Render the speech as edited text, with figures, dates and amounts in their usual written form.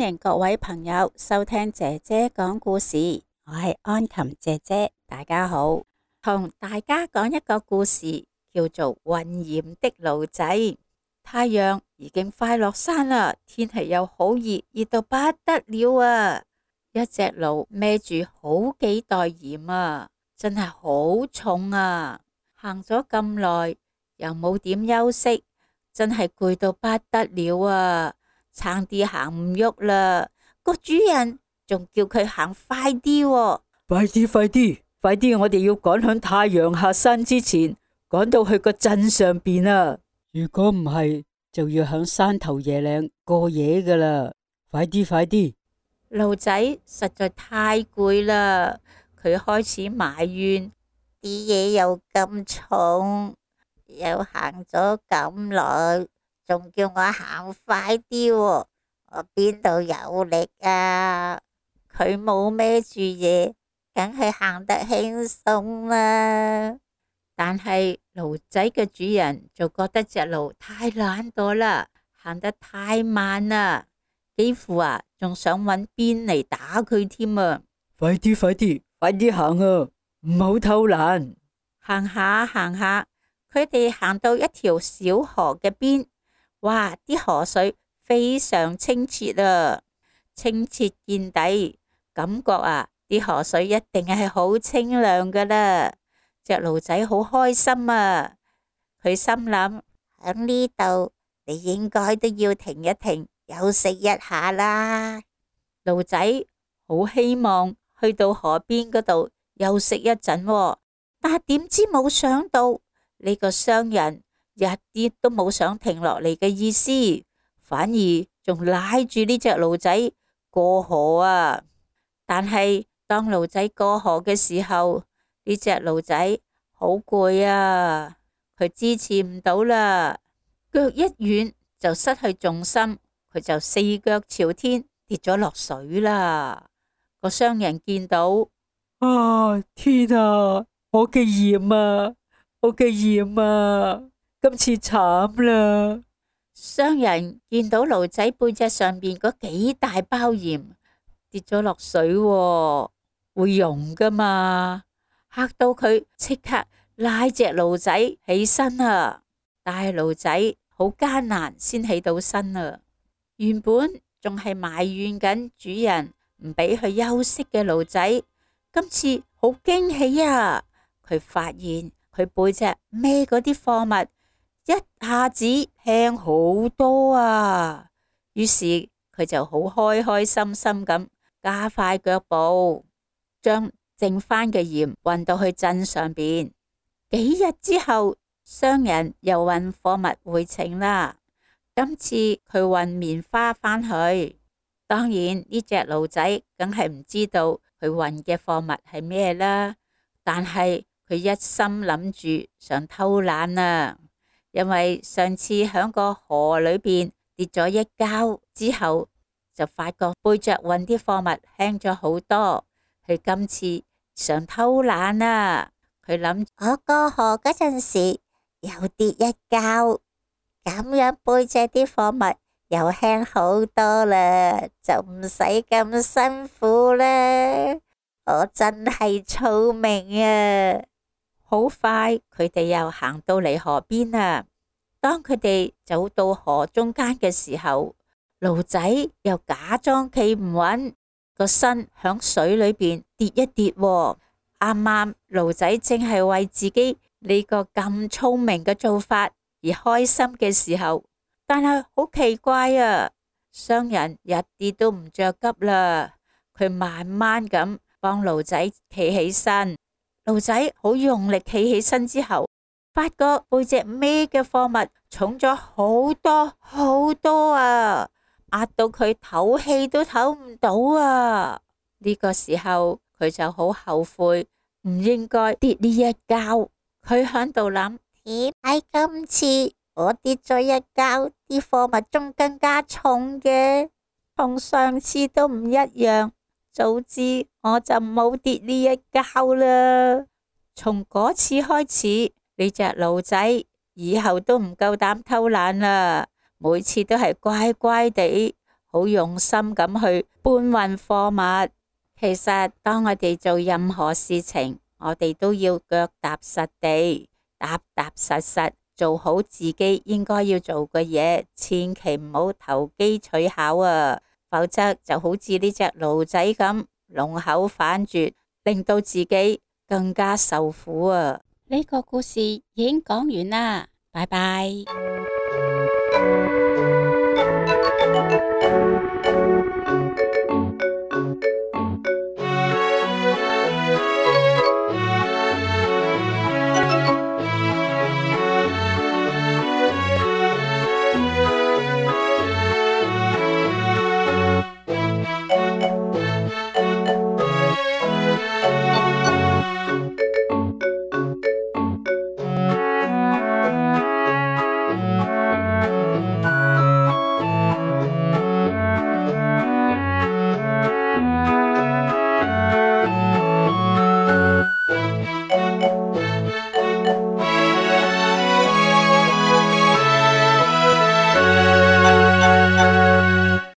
迎各位朋友收聽姐姐講故事，我係安琴姐姐，大家好。同大家講一個故事，叫做混染的驢仔。太陽已經快落山啦，天氣又好熱，熱到不得了啊！一隻驢孭住好幾袋鹽啊，真係好重啊！行咗咁耐，又冇點休息，真係攰到不得了啊！差啲行唔喐啦，個主人仲叫佢行快啲喎。快啲，快啲，快啲！我哋要趕響太陽下山之前，趕到去個鎮上邊啊！如果唔係，就要響山頭野嶺過夜噶啦！快啲，快啲！驢仔實在太攰啦，佢開始埋怨啲嘢又咁重，又行咗咁耐，仲叫我行快啲喎，我邊度有力啊？佢冇孭住嘢，梗係行得輕鬆啦。但係驢仔嘅主人就覺得隻驢太懶惰啦，行得太慢啦，幾乎仲想搵鞭嚟打佢添啊！快啲，快啲，快啲行啊！唔好偷懶。行下行下，佢哋行到一條小河嘅邊，哇！啲河水非常清澈啊，清澈見底，感覺啲河水一定係好清涼噶啦。隻驢仔好開心啊！佢心諗，喺呢度你應該都要停一停，休息一下啦。驢仔好希望去到河邊嗰度休息一陣喎，但係點知冇想到呢個商人一啲都冇想停落嚟嘅意思，反而仲拉住呢隻驢仔過河啊！但係當驢仔過河嘅時候，呢隻驢仔好攰啊，佢支持唔到啦，腳一軟就失去重心，佢就四腳朝天跌咗落水啦。個商人見到，天啊！我嘅鹽啊，我嘅鹽啊！今次慘啦！商人見到驢仔背脊上邊嗰幾大包鹽跌咗落水喎，會溶噶嘛，嚇到佢即刻拉隻驢仔起身啊！但係驢仔好艱難先起到身啊！原本仲係埋怨緊主人唔俾佢休息嘅驢仔，今次好驚喜啊！佢發現佢背脊孭嗰啲貨物一下子輕好多啊！於是佢就好開開心心咁加快腳步，將剩返嘅鹽運到去鎮上邊。幾日之後，商人又運貨物回程啦。今次佢運棉花返去，當然呢隻驢仔梗係唔知道佢運嘅貨物係咩啦。但係佢一心諗住想偷懶啊，因為上次響個河裏邊跌咗一跤之後，就發覺背着運啲貨物輕咗好多。佢今次想偷懶啊，佢諗我過河嗰陣時又跌一跤，咁樣背脊啲貨物又輕好多啦，就唔使咁辛苦啦。我真係聰明啊！好快，佢哋又行到嚟河邊啦。當佢哋走到河中間嘅時候，驢仔又假裝企唔穩，個身響水裏邊跌一跌喎。啱啱驢仔正係為自己呢個咁聰明嘅做法而開心嘅時候，但係好奇怪啊！商人一啲都唔着急啦，佢慢慢咁幫驢仔企起身。驢仔好用力企起身之後，發覺背脊孭嘅貨物重咗好多好多啊，壓到佢唞氣都唞唔到啊！呢個時候佢就好後悔，唔應該跌呢一跤。佢響度諗，點解今次我跌咗一跤，啲貨物仲更加重嘅，同上次都唔一樣。早知我就冇跌呢一跤啦。從嗰次開始，呢隻驢仔以後都唔夠膽偷懶啦，每次都係乖乖地，好好用心咁去搬運貨物。其實當我哋做任何事情，我哋都要腳踏實地，踏踏實實做好自己應該要做嘅嘢，千祈唔好投機取巧啊！否則就好似呢隻驢仔咁，龍口反絕，令到自己更加受苦啊！呢個故事已經講完啦，拜拜。